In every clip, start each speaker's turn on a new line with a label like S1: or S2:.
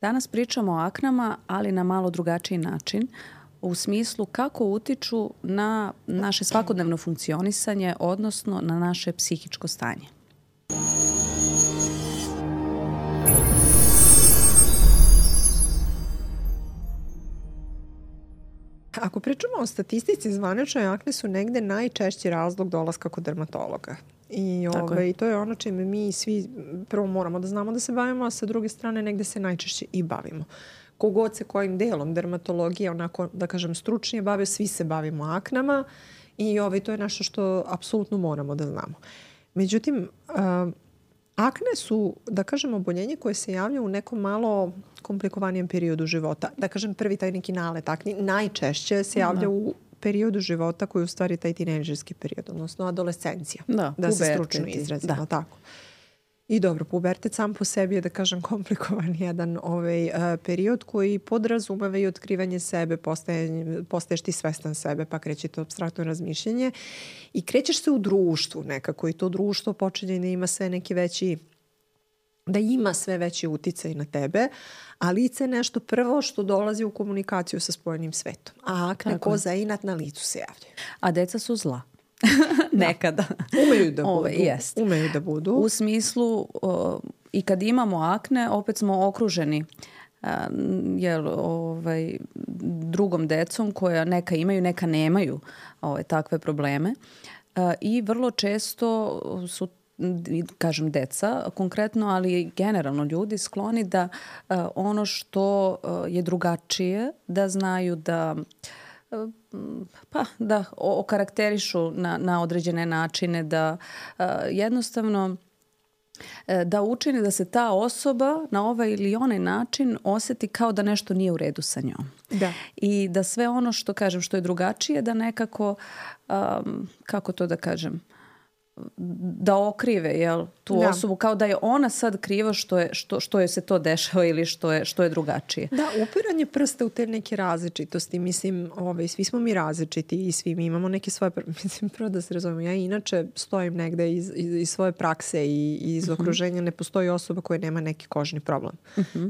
S1: Danas pričamo o aknama, ali na malo drugačiji način, u smislu kako utiču na naše svakodnevno funkcionisanje, odnosno na naše psihičko stanje.
S2: Ako pričamo o statistici zvaničnoj, akne su negde najčešći razlog dolaska kod dermatologa. I to je ono čime mi svi prvo moramo da znamo da se bavimo, a sa druge strane negde se najčešće i bavimo. Kogod se kojim delom dermatologije, onako da kažem stručnije bave, svi se bavimo aknama i to je nešto što apsolutno moramo da znamo. Međutim, akne su, da kažem, oboljenje koje se javlja u nekom malo komplikovanijem periodu života. Da kažem, prvi taj neki nalet akni najčešće se javlja u periodu života koji je u stvari taj tinejdžerski period, odnosno adolescencija. Da se stručno izrazimo. Tako. I dobro, pubertet sam po sebi je, da kažem, komplikovan jedan period koji podrazumeva i otkrivanje sebe, postaješ ti svestan sebe, pa kreće to apstraktno razmišljanje i krećeš se u društvu nekako i to društvo počinje da ima sve neki veći, da ima sve veći uticaj na tebe, a lice je nešto prvo što dolazi u komunikaciju sa spojenim svetom. A akne ko zainat na licu se javljaju.
S1: A deca su zla. Nekada.
S2: Umeju da budu.
S1: U smislu i kad imamo akne, opet smo okruženi drugom decom koja neka imaju, neka nemaju takve probleme. I vrlo često su, kažem deca konkretno, ali generalno ljudi skloni da ono što je drugačije, da znaju da okarakterišu na određene načine, da jednostavno da učini da se ta osoba na ovaj ili onaj način osjeti kao da nešto nije u redu sa njom.
S2: Da.
S1: I da sve ono što kažem što je drugačije da nekako, kako to da kažem, da okrive tu osobu kao da je ona sad kriva što je se to dešava ili što je drugačije.
S2: Da, upiranje prsta u te neke različitosti. Mislim, svi smo mi različiti i svi mi imamo neke svoje... Mislim, prvo da se razumemo, ja inače stojim negde iz svoje prakse i iz okruženja. Ne postoji osoba koja nema neki kožni problem.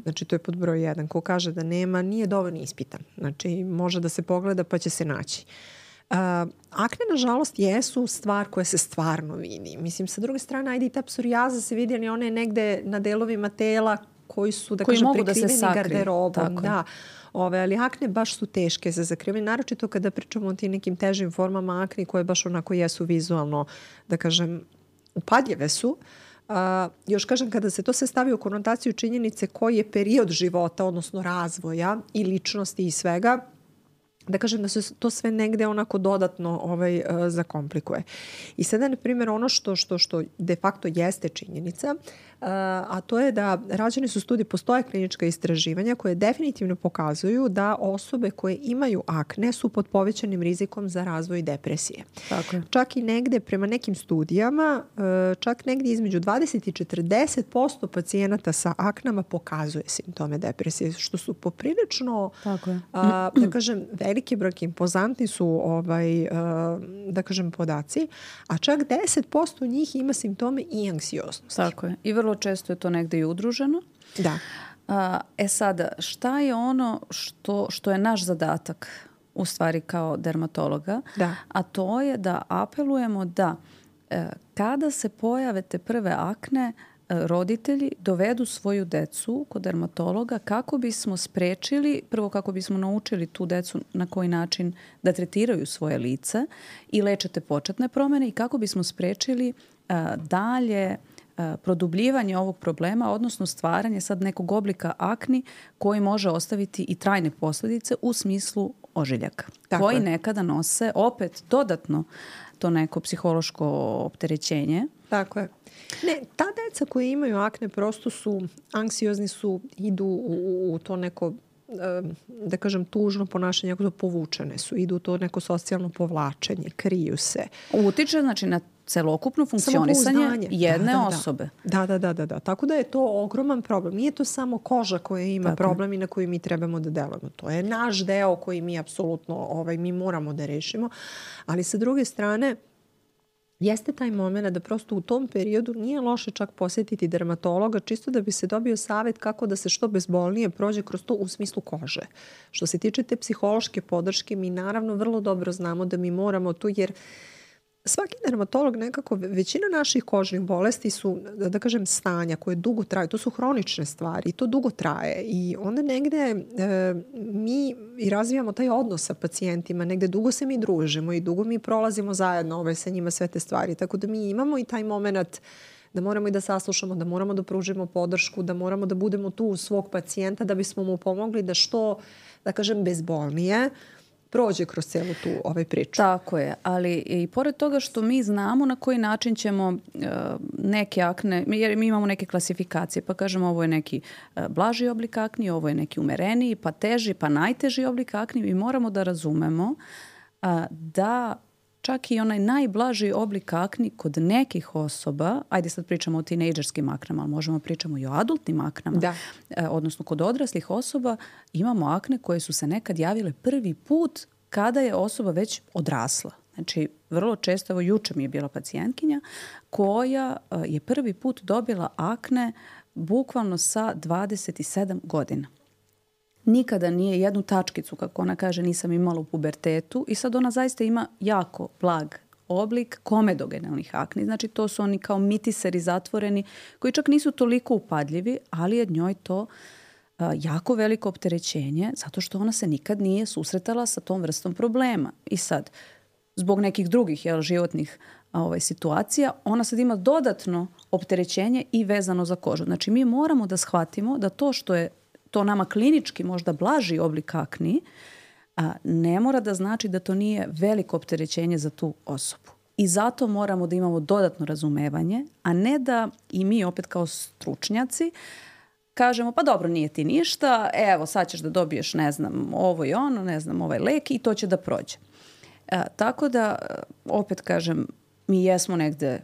S2: Znači, to je pod broj 1. Ko kaže da nema, nije dovoljno ispitan. Znači, može da se pogleda pa će se naći. Akne, nažalost, jesu stvar koja se stvarno vidi. Mislim, sa druge strane, ajde i ta psorijaza se vidi, ali ona je negde na delovima tela koji su, da kažem, prekriveni garderobom. Da. Ali akne baš su teške za zakrivanje. Naročito kada pričamo o tim nekim težim formama akne koje baš onako jesu vizualno, da kažem, upadljive su. Još kažem, kada se to se stavi u konotaciju činjenice koji je period života, odnosno razvoja i ličnosti i svega, da kažem da se to sve negde onako dodatno zakomplikuje. I sada, na primjer, ono što de facto jeste činjenica, a to je da rađene su studije, postoje klinička istraživanja koje definitivno pokazuju da osobe koje imaju akne su pod povećanim rizikom za razvoj depresije.
S1: Tako je.
S2: Čak i negde, prema nekim studijama, čak negdje između 20 i 40% pacijenata sa aknama pokazuje simptome depresije, što su poprilično, da kažem, veliki broj, impozantni su da kažem podaci, a čak 10% njih ima simptome i anksioznosti.
S1: Tako je. I vrlo često je to negde i udruženo.
S2: Da.
S1: Sada, šta je ono što je naš zadatak u stvari kao dermatologa?
S2: Da.
S1: A to je da apelujemo da kada se pojave te prve akne, roditelji dovedu svoju decu kod dermatologa kako bismo sprečili, prvo kako bismo naučili tu decu na koji način da tretiraju svoje lice i lečete početne promjene i kako bismo sprečili dalje produbljivanje ovog problema, odnosno stvaranje sad nekog oblika akni koji može ostaviti i trajne posljedice u smislu ožiljaka, koji nekada nose opet dodatno to neko psihološko opterećenje.
S2: Tako je. Ne, ta deca koji imaju akne prosto su anksiozni, idu u to neko, da kažem, tužno ponašanje, jako to povučene su, idu u to neko socijalno povlačenje, kriju se.
S1: Utiče, znači, na celokupno funkcionisanje jedne osobe.
S2: Da. Tako da je to ogroman problem. Nije to samo koža koja ima problem i na koju mi trebamo da delujemo. To je naš deo koji mi apsolutno mi moramo da rešimo. Ali sa druge strane, jeste taj moment da prosto u tom periodu nije loše čak posjetiti dermatologa čisto da bi se dobio savjet kako da se što bezbolnije prođe kroz to u smislu kože. Što se tiče te psihološke podrške, mi naravno vrlo dobro znamo da mi moramo tu, jer svaki dermatolog nekako, većina naših kožnih bolesti su, da kažem, stanja koje dugo traju. To su hronične stvari i to dugo traje. I onda negde mi i razvijamo taj odnos sa pacijentima. Negde dugo se mi družimo i dugo mi prolazimo zajedno sa njima sve te stvari. Tako da mi imamo i taj moment da moramo i da saslušamo, da moramo da pružimo podršku, da moramo da budemo tu uz svog pacijenta da bismo mu pomogli da što, da kažem, bezbolnije prođe kroz celu tu priču.
S1: Tako je, ali i pored toga što mi znamo na koji način ćemo neke akne, jer mi imamo neke klasifikacije, pa kažemo ovo je neki blaži oblik akni, ovo je neki umereniji, pa teži, pa najteži oblik akni, mi moramo da razumemo da čak i onaj najblaži oblik akni kod nekih osoba, ajde sad pričamo o tinejdžerskim aknama, ali možemo pričamo i o adultnim aknama, odnosno kod odraslih osoba imamo akne koje su se nekad javile prvi put kada je osoba već odrasla. Znači, vrlo često, evo juče mi je bila pacijentkinja koja je prvi put dobila akne bukvalno sa 27 godina. Nikada nije jednu tačkicu, kako ona kaže, nisam imala u pubertetu i sad ona zaista ima jako blag oblik komedogenalnih akni. Znači to su oni kao mitiseri zatvoreni koji čak nisu toliko upadljivi, ali je njoj to jako veliko opterećenje zato što ona se nikad nije susretala sa tom vrstom problema. I sad, zbog nekih drugih životnih situacija, ona sad ima dodatno opterećenje i vezano za kožu. Znači mi moramo da shvatimo da to što je to nama klinički možda blaži oblik akni, ne mora da znači da to nije veliko opterećenje za tu osobu. I zato moramo da imamo dodatno razumevanje, a ne da i mi opet kao stručnjaci kažemo pa dobro, nije ti ništa, evo sad ćeš da dobiješ ne znam ovo i ono, ne znam ovaj lek i to će da prođe. Tako da opet kažem, mi jesmo negde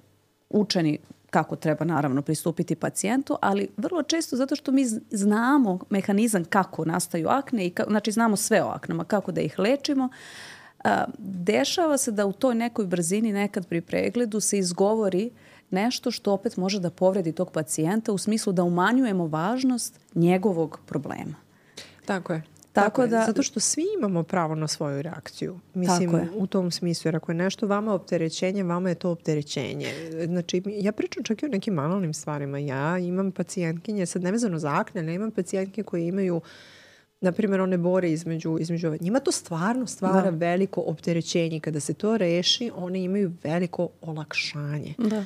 S1: učeni kako treba naravno pristupiti pacijentu, ali vrlo često zato što mi znamo mehanizam kako nastaju akne, i znači znamo sve o aknama, kako da ih lečimo, dešava se da u toj nekoj brzini nekad pri pregledu se izgovori nešto što opet može da povredi tog pacijenta u smislu da umanjujemo važnost njegovog problema.
S2: Tako je. Tako da, zato što svi imamo pravo na svoju reakciju. Mislim, u tom smislu, jer ako je nešto vama opterećenje, vama je to opterećenje. Znači, ja pričam čak i o nekim banalnim stvarima. Ja imam pacijentkinje, sad nevezano za akne, ali imam pacijentke koje imaju, na primjer, one bore između njima to stvarno stvara veliko opterećenje. Kada se to reši, one imaju veliko olakšanje. Da.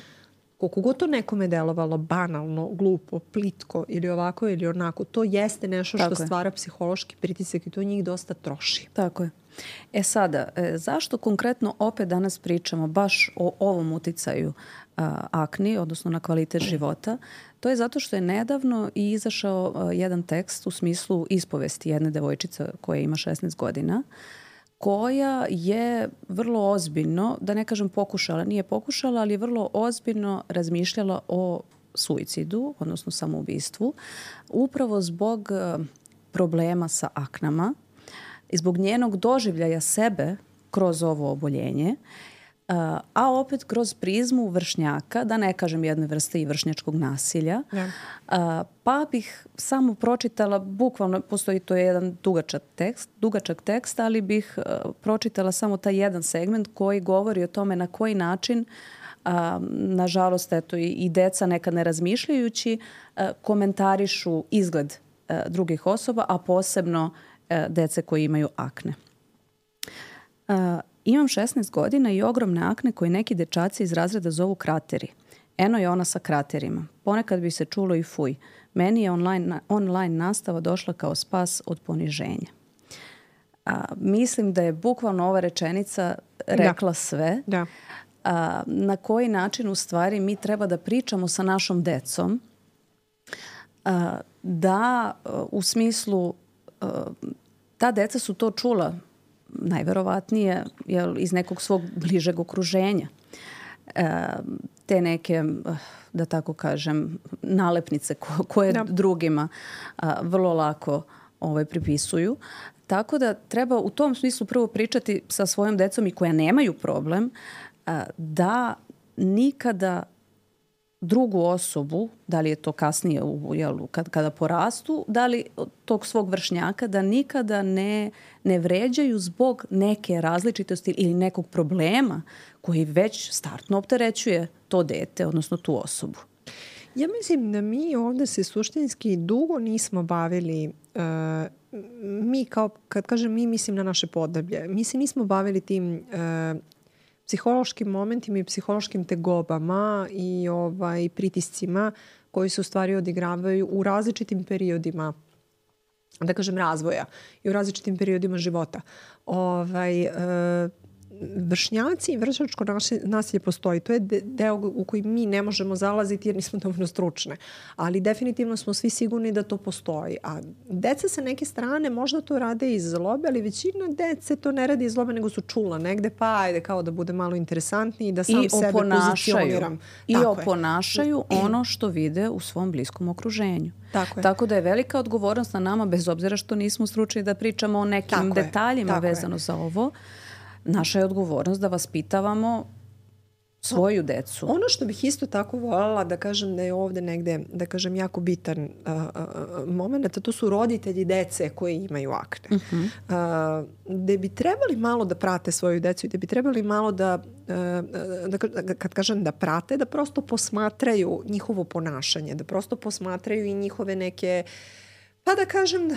S2: Koliko god to nekome delovalo banalno, glupo, plitko ili ovako ili onako, to jeste nešto što stvara psihološki pritisak i to njih dosta troši.
S1: Tako je. Sada, zašto konkretno opet danas pričamo baš o ovom uticaju akni, odnosno na kvalitet života? To je zato što je nedavno i izašao jedan tekst u smislu ispovesti jedne devojčice koja ima 16 godina, koja je vrlo ozbiljno, da ne kažem nije pokušala, ali je vrlo ozbiljno razmišljala o suicidu, odnosno samoubistvu, upravo zbog problema sa aknama i zbog njenog doživljaja sebe kroz ovo oboljenje, a opet kroz prizmu vršnjaka, da ne kažem jedne vrste i vršnjačkog nasilja. Pa bih samo pročitala, bukvalno postoji to je jedan dugačak tekst, ali bih pročitala samo taj jedan segment koji govori o tome na koji način, nažalost, eto i deca nekad ne razmišljajući, komentarišu izgled drugih osoba, a posebno dece koji imaju akne. Imam 16 godina i ogromne akne koje neki dečaci iz razreda zovu krateri. Eno je ona sa kraterima. Ponekad bi se čulo i fuj. Meni je online nastava došla kao spas od poniženja. Mislim da je bukvalno ova rečenica rekla sve. Da. Na koji način u stvari mi treba da pričamo sa našom decom, da u smislu ta deca su to čula najverovatnije iz nekog svog bližeg okruženja. Te neke, da tako kažem, nalepnice koje drugima vrlo lako pripisuju. Tako da treba u tom smislu prvo pričati sa svojom decom i koja nemaju problem da nikada drugu osobu, da li je to kasnije kada porastu, da li tog svog vršnjaka, da nikada ne vređaju zbog neke različitosti ili nekog problema koji već startno opterećuje to dete, odnosno tu osobu.
S2: Ja mislim da mi ovdje se suštinski dugo nismo bavili, mi kao, kad kažem mi, mislim na naše podneblje, mi se nismo bavili tim psihološkim momentima i psihološkim tegobama i pritiscima koji se u stvari odigravaju u različitim periodima, da kažem, razvoja i u različitim periodima života. Vršnjaci i vršnjačko nasilje postoji. To je deo u koji mi ne možemo zalaziti jer nismo dovoljno stručne. Ali definitivno smo svi sigurni da to postoji. A deca sa neke strane možda to rade iz zlobe, ali većina dece to ne radi iz zlobe, nego su čula negde, pa ajde kao da bude malo interesantniji, da sam sebe pozicioniram.
S1: I oponašaju ono što vide u svom bliskom okruženju. Tako da je velika odgovornost na nama, bez obzira što nismo stručni da pričamo o nekim detaljima vezano za ovo. Naša je odgovornost da vaspitavamo svoju decu. Ono
S2: što bih isto tako voljela da kažem da je ovdje negde, da kažem, jako bitan moment, a to su roditelji dece koji imaju akne. Gde bi trebali malo da prate svoju decu i gde bi trebali malo da kad kažem da prate, da prosto posmatraju njihovo ponašanje, da prosto posmatraju i njihove neke, pa da kažem,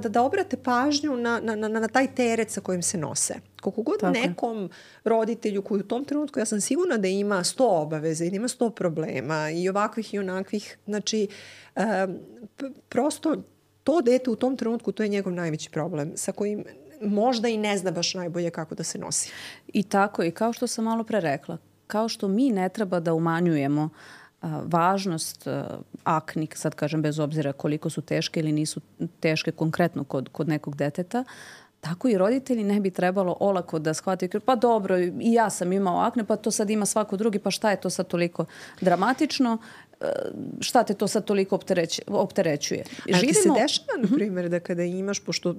S2: da obrate pažnju na taj teret sa kojim se nose. Koliko god nekom roditelju koji u tom trenutku, ja sam sigurna da ima 100 obaveza i da ima 100 problema i ovakvih i onakvih, znači prosto to dete u tom trenutku, to je njegov najveći problem sa kojim možda i ne zna baš najbolje kako da se nosi.
S1: I tako, i kao što sam malo pre rekla, kao što mi ne treba da umanjujemo važnost akni, sad kažem bez obzira koliko su teške ili nisu teške konkretno kod nekog deteta, tako i roditelji ne bi trebalo olako da shvate, pa dobro, i ja sam imao akne, pa to sad ima svako drugi, pa šta je to sad toliko dramatično, šta te to sad toliko opterećuje.
S2: Ali ti se dešava, na primjer, da kada imaš, pošto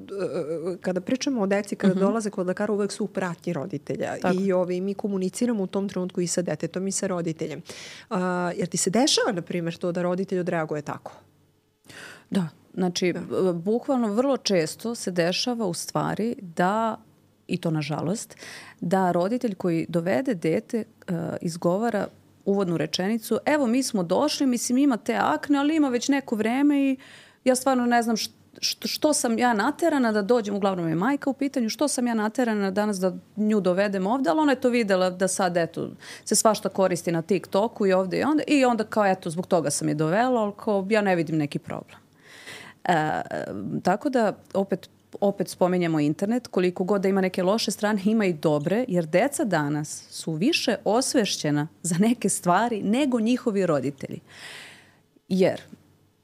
S2: kada pričamo o deci, kada dolaze kod lekara, uvek su u pratnji roditelja i mi komuniciramo u tom trenutku i sa detetom i sa roditeljem. Jer ti se dešava, na primjer, to da roditelj odreaguje tako?
S1: Da. Znači, bukvalno vrlo često se dešava u stvari da, i to nažalost, da roditelj koji dovede dete izgovara uvodnu rečenicu, evo mi smo došli, mislim ima te akne, ali ima već neko vreme i ja stvarno ne znam što sam ja naterana da dođem, uglavnom je majka u pitanju, što sam ja naterana danas da nju dovedem ovdje, ali ona je to vidjela da sad eto se svašta koristi na TikToku i ovdje i onda kao eto zbog toga sam je dovela, ali kao ja ne vidim neki problem. Tako da opet spominjemo internet, koliko god da ima neke loše strane, ima i dobre, jer deca danas su više osvešćena za neke stvari nego njihovi roditelji. Jer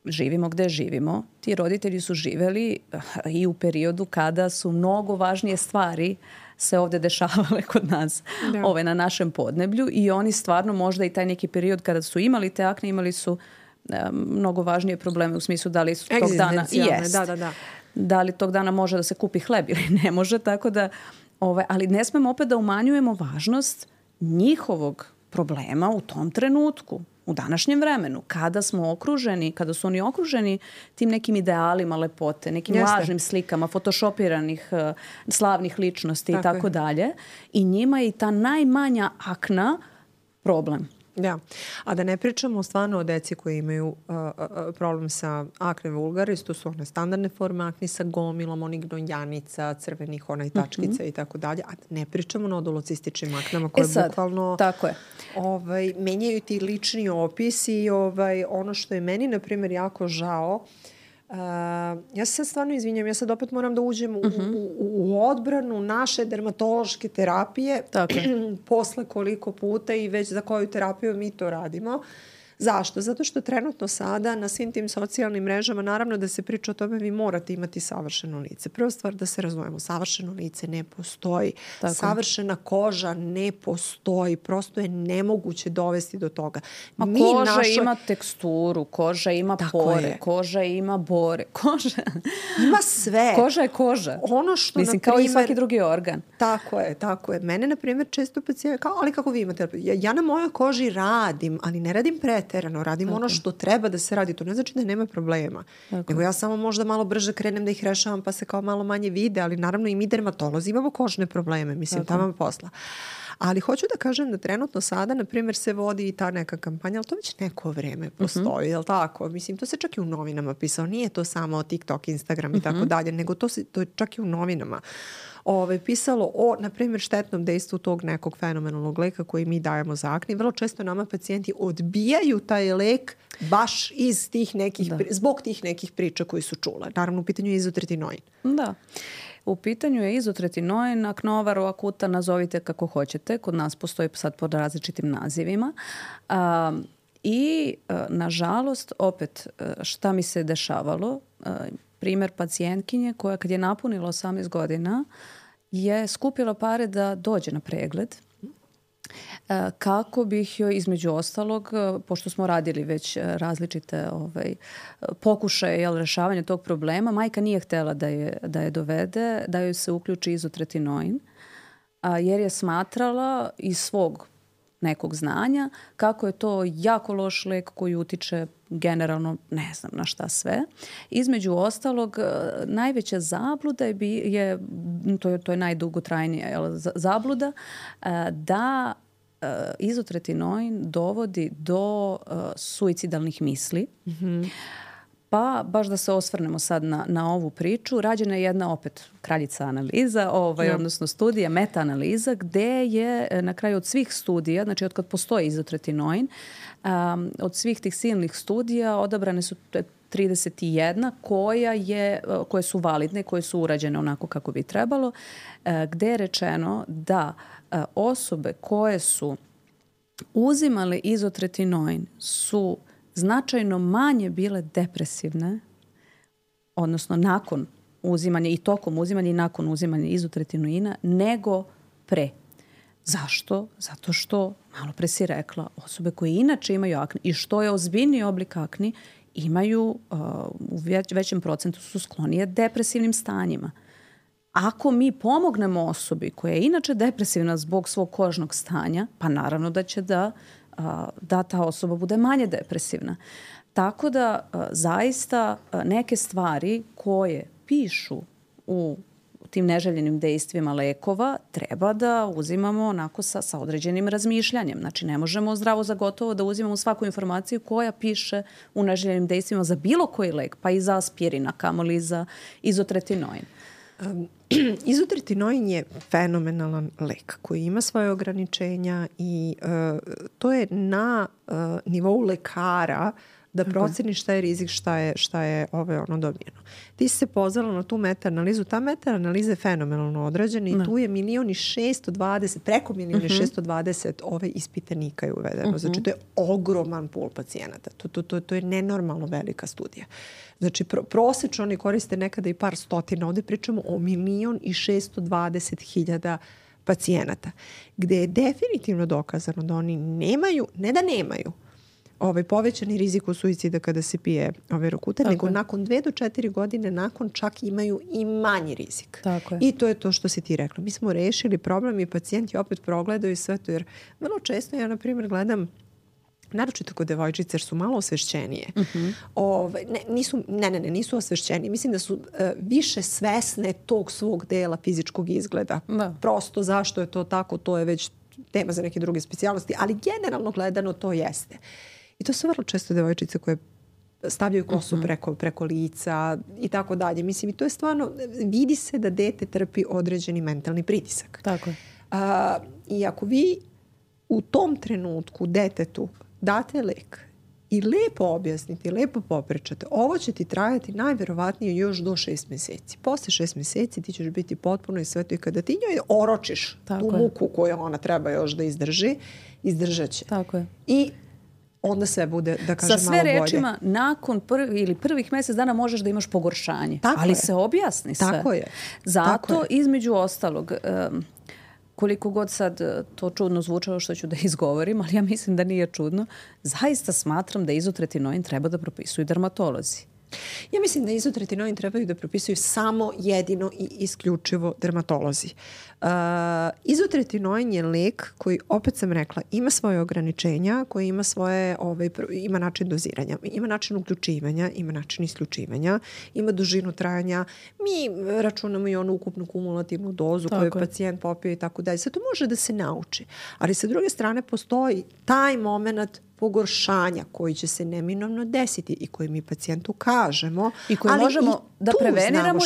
S1: živimo gde živimo, ti roditelji su živeli i u periodu kada su mnogo važnije stvari se ovdje dešavale kod nas, na našem podneblju, i oni stvarno možda i taj neki period kada su imali te akne, imali su mnogo važnije probleme u smislu da li su tog dana da li tog dana može da se kupi hleb ili ne može, tako da ali ne smemo opet da umanjujemo važnost njihovog problema u tom trenutku, u današnjem vremenu, kada smo okruženi, kada su oni okruženi tim nekim idealima lepote, nekim lažnim slikama, photoshopiranih slavnih ličnosti i tako dalje, i njima je i ta najmanja akna problem.
S2: Da, a da ne pričamo stvarno o deci koji imaju problem sa akne vulgaris, to su one standardne forme akne sa gomilom, onih gnojanica, crvenih tačkica i tako dalje, a ne pričamo o nodulocističnim aknama koje bukvalno menjaju ti lični opis i ono što je meni, na primjer, jako žao. Ja se sad stvarno izvinjam, ja sad opet moram da uđem u odbranu naše dermatološke terapije posle koliko puta i već za koju terapiju mi to radimo. Zašto? Zato što trenutno sada na svim tim socijalnim mrežama naravno da se priča o tome vi morate imati savršeno lice. Prva stvar da se razumemo, savršeno lice ne postoji. Tako. Savršena koža ne postoji. Prosto je nemoguće dovesti do toga.
S1: Koža ima teksturu, koža ima pore, koža ima bore. Koža
S2: ima sve.
S1: Koža je koža.
S2: Ono što,
S1: mislim, kao i svaki drugi organ.
S2: Tako je. Mene, na primjer, često pacijenti kao, ali kako vi imate? Ja na mojoj koži radim, ali ne radim preterano. Radim ono što treba da se radi. To ne znači da nema problema. Nego ja samo možda malo brže krenem da ih rešavam pa se kao malo manje vide, ali naravno i mi dermatolozi imamo kožne probleme. Mislim, tamo posla. Ali hoću da kažem da trenutno sada, na primjer, se vodi i ta neka kampanja, ali to već neko vreme postoji, jel tako? Mislim, to se čak i u novinama pisao. Nije to samo TikTok, Instagram i tako dalje, nego to je čak i u novinama pisalo o, na primjer, štetnom dejstvu tog nekog fenomenalnog leka koji mi dajemo za akne. Vrlo često nama pacijenti odbijaju taj lek baš iz tih nekih, zbog tih nekih priča koji su čule. Naravno, u pitanju je izotretinoin.
S1: Da. U pitanju je izotretinoin, aknovar, akuta, nazovite kako hoćete. Kod nas postoji sad pod različitim nazivima. I, nažalost, opet, šta mi se dešavalo? Primjer pacijentkinje koja kad je napunila 18 godina je skupila pare da dođe na pregled kako bih joj između ostalog, pošto smo radili već različite pokušaje rešavanja tog problema, majka nije htjela da je dovede, da joj se uključi izotretinoin, jer je smatrala iz svog nekog znanja kako je to jako loš lek koji utiče generalno ne znam na šta sve. Između ostalog, najveća zabluda je to je najdugotrajnija zabluda, da izotretinoin dovodi do suicidalnih misli. Pa baš da se osvrnemo sad na ovu priču, rađena je jedna opet kraljica analiza, odnosno studija, meta-analiza, gde je na kraju od svih studija, znači od kad postoji izotretinoin, od svih tih silnih studija odabrane su 31 koje su validne, koje su urađene onako kako bi trebalo, gde je rečeno da osobe koje su uzimale izotretinoin su značajno manje bile depresivne, odnosno nakon uzimanja i tokom uzimanja i nakon uzimanja izotretinoina, nego pre. Zašto? Zato što, malo pre si rekla, osobe koje inače imaju akne i što je ozbiljniji oblik akni, imaju u većem procentu su sklonije depresivnim stanjima. Ako mi pomognemo osobi koja je inače depresivna zbog svog kožnog stanja, pa naravno da će da ta osoba bude manje depresivna. Tako da zaista neke stvari koje pišu u tim neželjenim dejstvima lekova treba da uzimamo onako sa određenim razmišljanjem. Znači ne možemo zdravo za gotovo da uzimamo svaku informaciju koja piše u neželjenim dejstvima za bilo koji lek, pa i za aspirin, a kamoli za izotretinoin.
S2: Izotretinoin je fenomenalan lek koji ima svoje ograničenja i to je na nivou lekara da proceni šta je rizik, šta je dobijeno. Ti si se pozvala na tu meta-analizu. Ta meta-analiza je fenomenalno odrađena i tu je 1.620.000, preko 1.620.000 ove ispitanika je uvedeno. Znači, to je ogroman pul pacijenata. To je nenormalno velika studija. Znači, prosečno oni koriste nekada i par stotina. Ovdje pričamo o 1.620.000 pacijenata. Gde je definitivno dokazano da oni nemaju, ne da nemaju, povećani rizik od suicida kada se pije Rokutan, nego nakon 2 do 4 godine nakon čak imaju i manji rizik. I to je to što si ti rekla. Mi smo rešili problem i pacijenti opet progledaju sve to, jer vrlo često ja, na primjer, gledam naročito kod devojčice, jer su malo osvešćenije. Nisu osvešćenije. Mislim da su više svesne tog svog dela fizičkog izgleda. Prosto zašto je to tako, to je već tema za neke druge specijalnosti, ali generalno gledano to jeste. I to su vrlo često devojčice koje stavljaju kosu preko lica i tako dalje. Mislim, i to je stvarno, vidi se da dete trpi određeni mentalni pritisak.
S1: Tako je.
S2: I ako vi u tom trenutku detetu date lek i lepo objasnite, lepo popričate, ovo će ti trajati najverovatnije još do 6 mjeseci. Posle 6 mjeseci ti ćeš biti potpuno i sve to i kada ti njoj oročiš tu muku koju ona treba još da izdrži, izdržat će.
S1: Tako je.
S2: I onda sve bude, da kažem, malo bolje.
S1: Sa sve rečima, nakon prvih mjesec dana možeš da imaš pogoršanje.
S2: Tako
S1: ali
S2: je.
S1: se objasni sve.
S2: Tako je.
S1: Zato,
S2: Tako je.
S1: između ostalog, koliko god sad to čudno zvučalo što ću da izgovorim, ali ja mislim da nije čudno, zaista smatram da izotretinoin treba da propisuju dermatolozi.
S2: Ja mislim da izotretinoin trebaju da propisuju samo jedino i isključivo dermatolozi. Izotretinoin je lek koji, opet sam rekla, ima svoje ograničenja, koji ima ima način doziranja, ima način uključivanja, ima način isključivanja, ima dužinu trajanja. Mi računamo i onu ukupnu kumulativnu dozu koju pacijent popio i tako dalje. Sve to može da se nauči. Ali sa druge strane postoji taj moment pogoršanja koji će se neminovno desiti i koji mi pacijentu kažemo,
S1: i koji
S2: ali
S1: možemo da preveniramo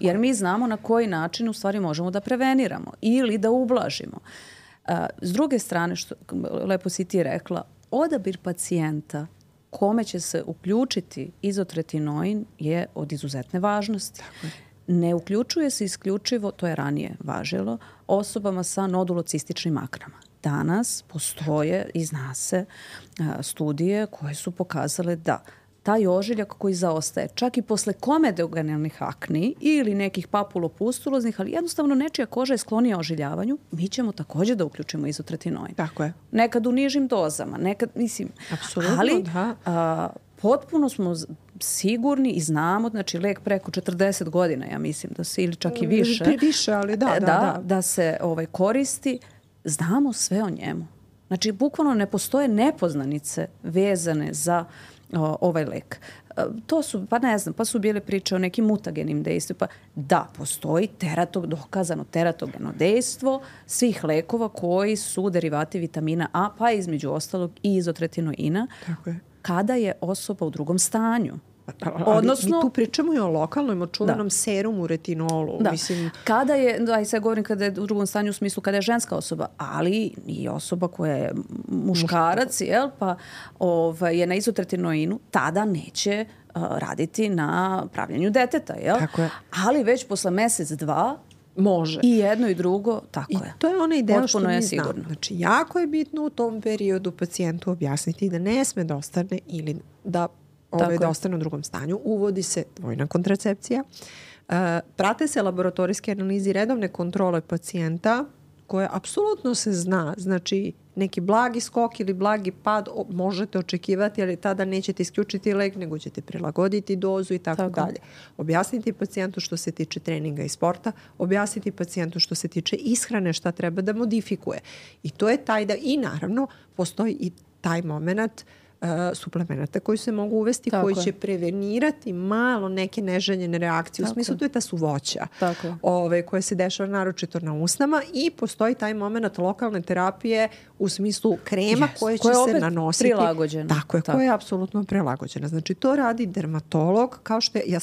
S1: jer mi znamo na koji način u stvari možemo da preveniramo ili da ublažimo. S druge strane, što lepo si ti rekla, odabir pacijenta kome će se uključiti izotretinoin je od izuzetne važnosti. Ne uključuje se isključivo, to je ranije važilo, osobama sa nodulocističnim aknama. Danas postoje i zna se studije koje su pokazale da taj ožiljak koji zaostaje čak i posle komedogenalnih akni ili nekih papulopustuloznih, ali jednostavno nečija koža je sklonija ožiljavanju, mi ćemo također da uključimo izotretinoin.
S2: Tako je.
S1: Nekad u nižim dozama, nekad, mislim,
S2: apsolutno,
S1: ali
S2: da.
S1: Potpuno smo sigurni i znamo, znači lek preko 40 godina, ja mislim da se, ili čak i više.
S2: Više, ali
S1: da se koristi. Znamo sve o njemu. Znači, bukvalno ne postoje nepoznanice vezane za ovaj lek. To su, pa su bile priče o nekim mutagenim dejstvima. Da, postoji dokazano teratogeno dejstvo svih lekova koji su derivati vitamina A, pa između ostalog i izotretinoina.
S2: Tako je.
S1: Kada je osoba u drugom stanju.
S2: Odnosno, mi tu pričamo i o lokalnom, o čuvenom serumu, retinolu.
S1: Da.
S2: Mislim,
S1: kada je, sad govorim kada je u drugom stanju u smislu kada je ženska osoba, ali i osoba koja je muškarac, pa je na izotretinoinu, tada neće raditi na pravljenju deteta.
S2: Tako je.
S1: Ali već posle mjesec, dva,
S2: može.
S1: I jedno i drugo, tako je.
S2: I to je onaj deo što mi
S1: znamo.
S2: Znači, jako je bitno u tom periodu pacijentu objasniti da ne sme da ostane ili da da ostane u drugom stanju. Uvodi se dvojna kontracepcija. Prate se laboratorijske analize i redovne kontrole pacijenta koje apsolutno se zna. Znači, neki blagi skok ili blagi pad možete očekivati, ali tada nećete isključiti lek, nego ćete prilagoditi dozu i tako dalje. Objasniti pacijentu što se tiče treninga i sporta, objasniti pacijentu što se tiče ishrane, šta treba da modifikuje. I to je taj da, i naravno, postoji i taj moment suplemenata koji se mogu uvesti, koji će prevenirati malo neke neželjene reakcije. U smislu, to je ta suvoća koja se dešava naročito na usnama, i postoji taj moment lokalne terapije u smislu krema koje će se nanositi.
S1: Prilagođena.
S2: Tako je, koja je apsolutno prilagođena. Znači, to radi dermatolog, kao što je,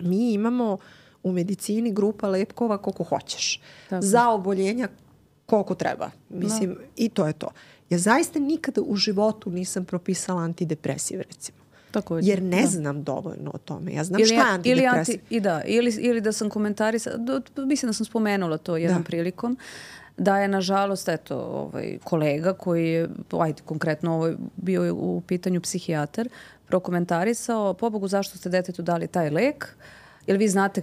S2: mi imamo u medicini grupa lepkova koliko hoćeš. Za oboljenja koliko treba. Mislim, i to je to. Ja zaista nikada u životu nisam propisala antidepresiv, recimo.
S1: Također.
S2: Jer ne znam dovoljno o tome. Ja znam šta je antidepresiv.
S1: Ili da sam komentarisala, mislim da sam spomenula to jednom prilikom, da je nažalost kolega koji je, konkretno bio u pitanju psihijatar, prokomentarisao, pobogu zašto ste detetu dali taj lek, jer vi znate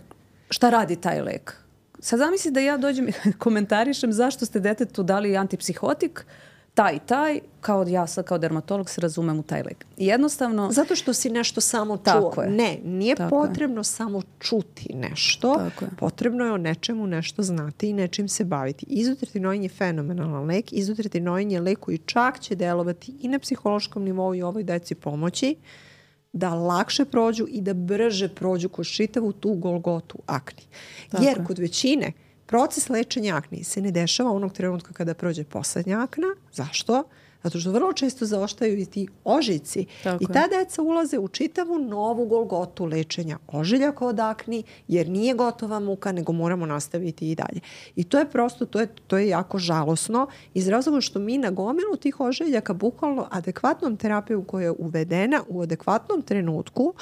S1: šta radi taj lek. Sad zamisli da ja dođem i komentarišem zašto ste detetu dali antipsihotik, taj, ja sad kao dermatolog se razumem u taj lek. Jednostavno... Zato što si nešto samo čuo. Nije potrebno samo čuti nešto. Potrebno je o nečemu nešto znati i nečim se baviti. Izotretinoin je fenomenalan lek. Izotretinoin je lek koji čak će delovati i na psihološkom nivou i ovoj deci pomoći da lakše prođu i da brže prođu kroz čitavu tu golgotu akni. Jer kod većine proces lečenja akni se ne dešava onog trenutka kada prođe poslednja akna. Zašto? Zato što vrlo često zaostaju i ti ožiljci. I ta deca ulaze u čitavu novu golgotu lečenja ožiljaka od akni, jer nije gotova muka, nego moramo nastaviti i dalje. I to je prosto, to je jako žalosno, iz razloga što mi na gomilu tih ožiljaka bukvalno adekvatnom terapijom koja je uvedena u adekvatnom trenutku,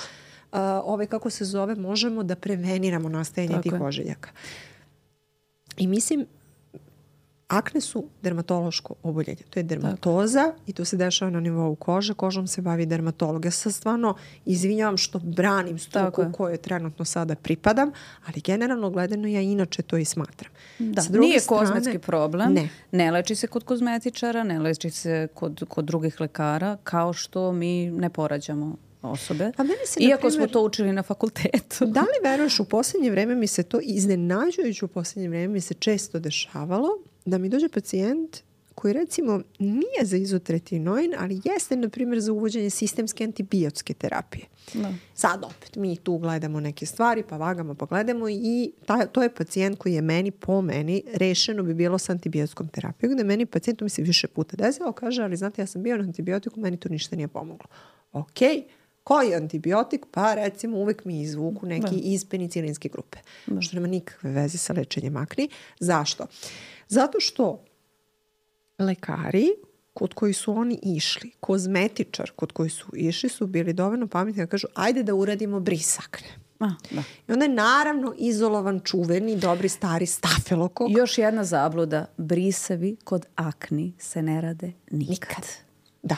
S1: kako se zove, možemo da preveniramo nastajanje tih ožiljaka. I mislim,
S2: Akne su dermatološko oboljenje. To je dermatoza i to se dešava na nivou kože. Kožom se bavi dermatolog. Ja se stvarno izvinjavam što branim struku kojoj trenutno sada pripadam, ali generalno gledano ja inače to i smatram.
S1: Da, nije kozmetski problem. Ne leči se kod kozmetičara, ne leči se kod drugih lekara, kao što mi ne porađamo osobe. Iako smo to učili na fakultetu.
S2: Da li veruješ, u posljednje vreme mi se to iznenađujući, u posljednje vreme mi se često dešavalo da mi dođe pacijent koji recimo nije za izotretinoin, ali jeste na primjer za uvođenje sistemske antibiotske terapije. Da. Sad opet mi tu gledamo neke stvari, pa vagamo, pa gledamo i to je pacijent koji je po meni rešeno bi bilo sa antibiotskom terapijom, gde meni pacijent, to mi se više puta desilo, kaže, ali znate, ja sam bio na antibiotiku, meni to ništa nije pomoglo. Okej. Koji antibiotik? Pa recimo uvek mi izvuku neki iz penicilinske grupe. Što nema nikakve veze sa lečenjem akni. Zašto? Zato što lekari kod koji su oni išli, kozmetičar kod koji su išli su bili dovoljno pametni da kažu ajde da uradimo bris akne. I onda je naravno izolovan čuveni, dobri, stari stafilokok.
S1: Još jedna zabluda. Brisevi kod akni se ne rade nikad.
S2: Da.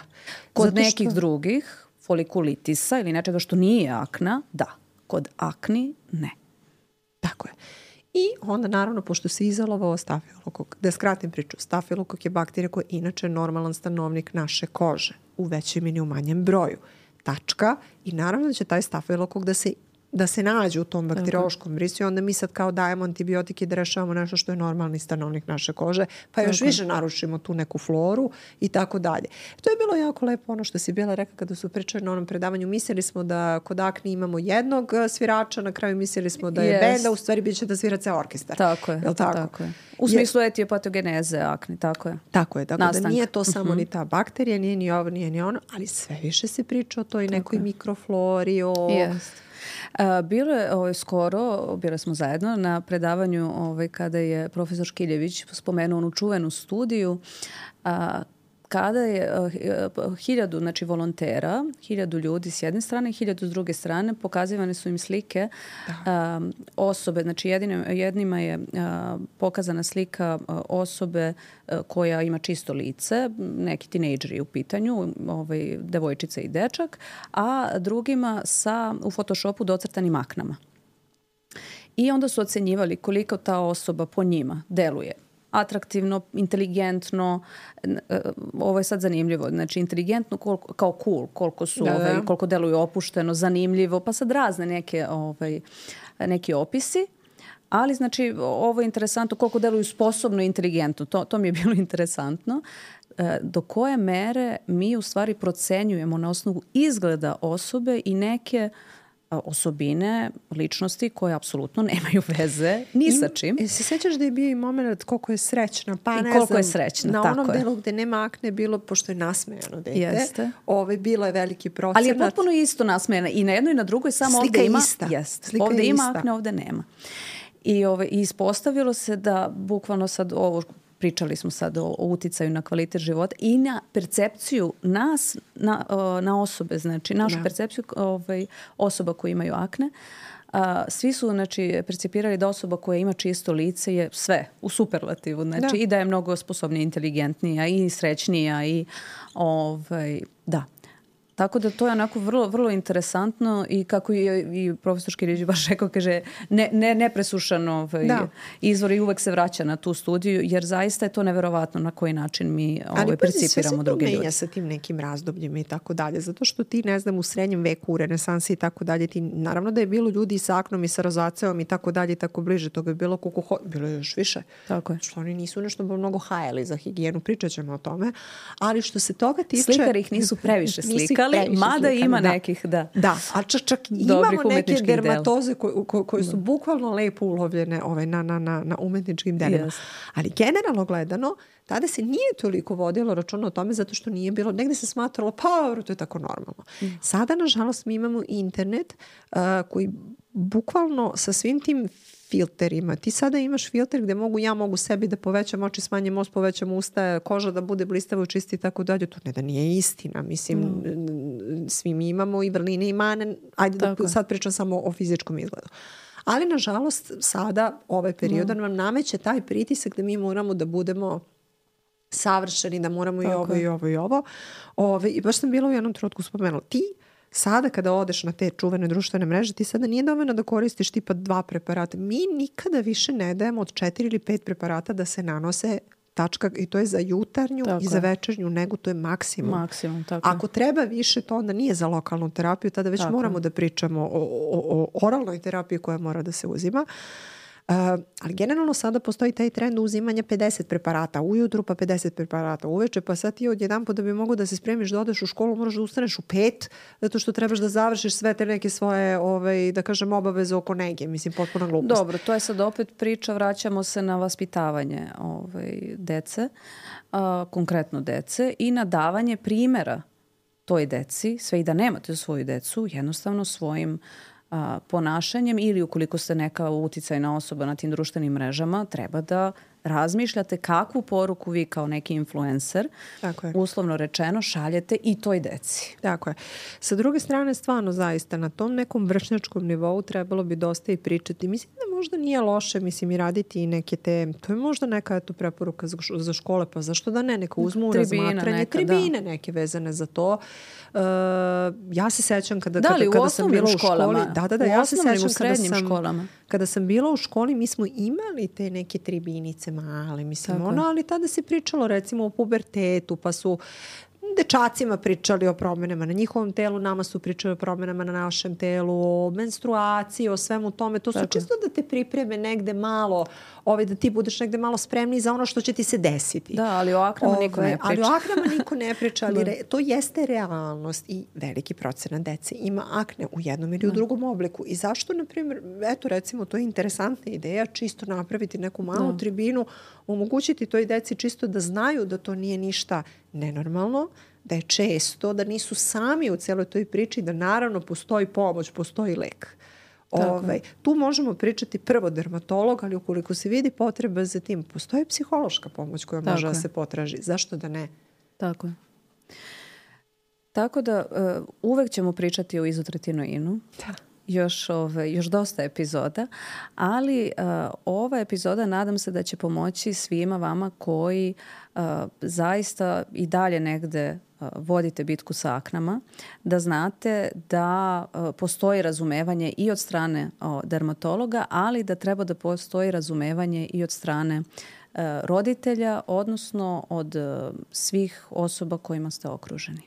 S1: Kod nekih drugih folikulitisa ili nečega što nije akna, da. Kod akni, ne.
S2: Tako je. I onda naravno, pošto se izolovao stafilokok, da skratim priču, stafilokok je bakterija koja je inače normalan stanovnik naše kože, u većem ili u manjem broju. Tačka. I naravno da će taj stafilokok da se nađe u tom bakteriološkom brisu i onda mi sad kao dajemo antibiotike da rešavamo nešto što je normalni stanovnik naše kože, pa još više narušimo tu neku floru i tako dalje. To je bilo jako lepo ono što si bila rekla kada su pričali na onom predavanju. Mislili smo da kod akni imamo jednog svirača, na kraju mislili smo da je bend, a u stvari bit će da svira ceo orkestar.
S1: Tako je. Tako je. U smislu etijopatogeneze akni, tako je.
S2: Tako je, tako da nije to samo ni ta bakterija, nije ni ovo, nije ni ono, ali sve više se priča o toj nekoj mikroflori,
S1: Bilo je skoro, bile smo zajedno na predavanju kada je profesor Škiljević spomenuo onu čuvenu studiju kada je 1000 znači volontera, 1000 ljudi s jedne strane i 1000 s druge strane, pokazivane su im slike osobe, znači jednima je pokazana slika osobe koja ima čisto lice, neki tinejdžeri u pitanju, devojčica i dečak, a drugima u Photoshopu docrtanim aknama. I onda su ocenjivali koliko ta osoba po njima deluje atraktivno, inteligentno, ovo je sad zanimljivo, znači inteligentno kao cool, koliko su, koliko deluju opušteno, zanimljivo, pa sad razne neki opisi, ali znači ovo je interesantno koliko deluju sposobno i inteligentno, to mi je bilo interesantno. Do koje mere mi u stvari procenjujemo na osnovu izgleda osobe i neke osobine, ličnosti koje apsolutno nemaju veze ni sa čim.
S2: Se sjećaš da je bio i moment koliko je srećna? Pa ne
S1: koliko je srećna,
S2: na
S1: tako
S2: onom delu gde nema akne bilo, pošto je nasmejano dete.
S1: Jeste.
S2: Bilo je veliki procenat.
S1: Ali je potpuno isto nasmejana. I na jednoj i na drugoj, samo
S2: slika
S1: ovde ima.
S2: Ista.
S1: Jeste. Ovde ima akne, ovde nema. I ispostavilo se da bukvalno sad ovo pričali smo sad o uticaju na kvalitet života i na percepciju nas, na osobe, znači našu percepciju osoba koji imaju akne. Svi su znači, percipirali da osoba koja ima čisto lice je sve u superlativu. Znači, i da je mnogo sposobnija, inteligentnija i srećnija i da. Tako da to je onako vrlo, vrlo interesantno i kako je i profesor Škirić baš rekao, kaže, nepresušan izvor i uvek se vraća na tu studiju, jer zaista je to neverovatno na koji način mi percipiramo druge ljude. Ali
S2: menja sa tim nekim razdobljima i tako dalje, zato što ti, ne znam, u srednjem veku, u renesansi i tako dalje, ti naravno da je bilo ljudi i sa aknom i sa rozaceom i tako dalje i tako bliže, toga je bilo koliko bilo je još više.
S1: Tako je.
S2: Što oni nisu nešto mnogo hajali za higijenu, pričat ćemo o tome, ali što se toga tiče...
S1: Slikari ih nisu previše slikali. Mada ima nekih,
S2: Da, a čak imamo neke dermatoze koje su bukvalno lepo ulovljene na umetničkim delima. Yes. Ali generalno gledano, tada se nije toliko vodilo računa o tome zato što nije bilo, negde se smatralo, pa to je tako normalno. Sada, nažalost, mi imamo internet koji bukvalno sa svim tim filterima. Ti sada imaš filter gde ja mogu sebi da povećam oči, smanjim nos, povećam usta, koža da bude blistavo, čisti i tako dalje. To ne da nije istina. Mislim, svi mi imamo i vrline i mane. Ajde da sad pričam samo o fizičkom izgledu. Ali nažalost sada ovaj period nam nameće taj pritisak da mi moramo da budemo savršeni, da moramo i ovo. I baš sam bila u jednom trenutku spomenula. Ti sada kada odeš na te čuvene društvene mreže, ti sada nije dovoljno da koristiš tipa 2 preparata. Mi nikada više ne dajemo od 4 ili 5 preparata da se nanose tačka, i to je za jutarnju i za večernju negu, to je maksimum. Ako treba više, to onda nije za lokalnu terapiju, tada već moramo da pričamo o oralnoj terapiji koja mora da se uzima. Ali generalno sada postoji taj trend uzimanja 50 preparata ujutru, pa 50 preparata uveče, pa sad ti odjedanput da bi mogo da se spremiš da odeš u školu, moraš da ustaneš u 5, zato što trebaš da završiš sve te neke svoje, da kažem, obaveze oko nege. Mislim, potpuno glupost.
S1: Dobro, to je sad opet priča, vraćamo se na vaspitavanje dece, konkretno dece, i na davanje primjera toj deci, sve i da nemate svoju decu, jednostavno svojim ponašanjem, ili ukoliko ste neka uticajna osoba na tim društvenim mrežama, treba da razmišljate kakvu poruku vi kao neki influencer, uslovno rečeno, šaljete i toj deci.
S2: Tako je. Sa druge strane, stvarno zaista na tom nekom vršnjačkom nivou trebalo bi dosta i pričati. Mislim da možda nije loše, i raditi i neke te, to je možda neka preporuka za škole, pa zašto da ne, neka uzmu razmatranje, tribine neke vezane za to. Ja se sećam kada sam bila u školi. Ja se sećam kada sam bila u školi, mi smo imali te neke tribinice male, ali tada se pričalo recimo o pubertetu, pa su dečacima pričali o promjenama na njihovom telu, nama su pričali o promjenama na našem telu, o menstruaciji, o svemu tome. To su čisto da te pripreme negde malo, da ti budeš negde malo spremni za ono što će ti se desiti.
S1: Da, ali o aknama niko ne priča.
S2: Ali o aknama niko ne priča, ali to jeste realnost i veliki procenat dece ima akne u jednom ili u drugom obliku. I zašto, na primjer, recimo, to je interesantna ideja, čisto napraviti neku malu tribinu, omogućiti toj deci čisto da znaju da to nije ništa nenormalno, da je često, da nisu sami u cijeloj toj priči, da naravno postoji pomoć, postoji lek. Tu možemo pričati prvo dermatolog, ali ukoliko se vidi potreba za tim, postoji psihološka pomoć koja može da se potraži. Zašto da ne?
S1: Tako je. Tako da uvek ćemo pričati o izotretinoinu. Da. Još dosta epizoda, ali ova epizoda nadam se da će pomoći svima vama koji zaista i dalje negde vodite bitku sa aknama, da znate da postoji razumevanje i od strane dermatologa, ali da treba da postoji razumevanje i od strane roditelja, odnosno od svih osoba kojima ste okruženi.